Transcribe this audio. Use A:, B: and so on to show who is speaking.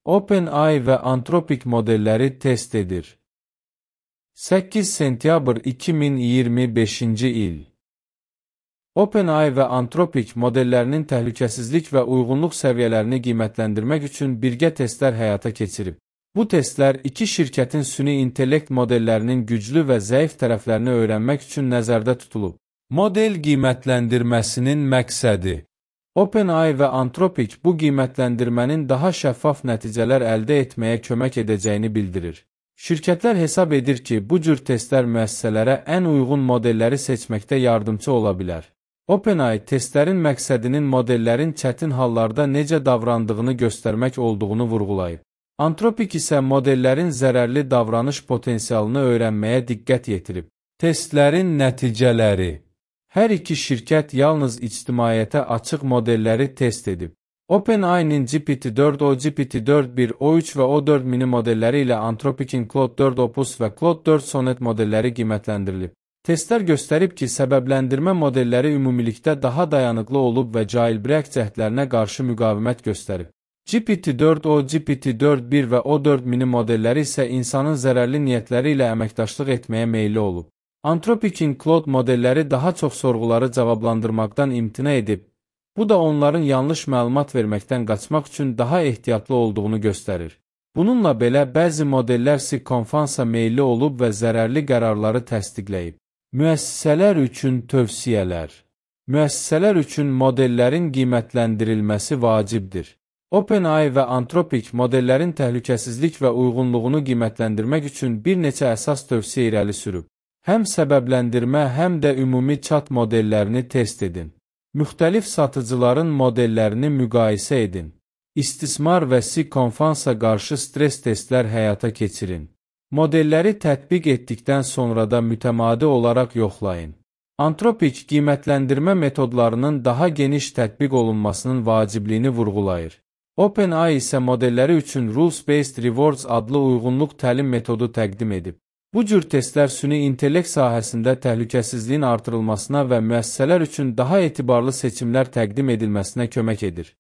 A: OpenAI və Anthropic modelləri test edir. 8 sentyabr 2025-ci il. OpenAI və Anthropic modellərinin təhlükəsizlik və uyğunluq səviyyələrini qiymətləndirmək üçün birgə testlər həyata keçirib. Bu testlər iki şirkətin süni intellekt modellərinin güclü və zəif tərəflərini öyrənmək üçün nəzərdə tutulub. Model qiymətləndirməsinin məqsədi. OpenAI və Anthropic bu qiymətləndirmənin daha şəffaf nəticələr əldə etməyə kömək edəcəyini bildirir. Şirkətlər hesab edir ki, bu cür testlər müəssisələrə ən uyğun modelləri seçməkdə yardımcı ola bilər. OpenAI testlərin məqsədinin modellərin çətin hallarda necə davrandığını göstərmək olduğunu vurğulayıb. Anthropic isə modellərin zərərli davranış potensialını öyrənməyə diqqət yetirib. Testlərin nəticələri. Hər iki şirkət yalnız ictimaiyyətə açıq modelləri test edib. OpenAI-nin GPT-4, GPT-4.1, O3 və O4 mini modelləri ilə Anthropic'in Claude 4 Opus və Claude 4 Sonnet modelləri qiymətləndirilib. Testlər göstərib ki, səbəbləndirmə modelləri ümumilikdə daha dayanıqlı olub və jailbreak cəhdlərinə qarşı müqavimət göstərib. GPT-4, GPT-4.1 və O4 mini modelləri isə insanın zərərli niyyətləri ilə əməkdaşlıq etməyə meyilli olub. Anthropic'in Claude modelləri daha çox sorğuları cavablandırmaqdan imtina edib. Bu da onların yanlış məlumat verməkdən qaçmaq üçün daha ehtiyatlı olduğunu göstərir. Bununla belə bəzi modellər konfansa meyilli olub və zərərli qərarları təsdiqləyib. Müəssisələr üçün tövsiyələr. Müəssisələr üçün modellərin qiymətləndirilməsi vacibdir. OpenAI və Anthropic modellərin təhlükəsizlik və uyğunluğunu qiymətləndirmək üçün bir neçə əsas tövsiyə irəli sürüb. Həm səbəbləndirmə, həm də ümumi chat modellərini test edin. Müxtəlif satıcıların modellərini müqayisə edin. İstismar və konfansa qarşı stres testlər həyata keçirin. Modelləri tətbiq etdikdən sonra da mütəmadi olaraq yoxlayın. Anthropic qiymətləndirmə metodlarının daha geniş tətbiq olunmasının vacibliyini vurğulayır. OpenAI isə modelləri üçün Rules-Based Rewards adlı uyğunluq təlim metodu təqdim edib. Bu cür testlər süni intellekt sahəsində təhlükəsizliyin artırılmasına və müəssisələr üçün daha etibarlı seçimlər təqdim edilməsinə kömək edir.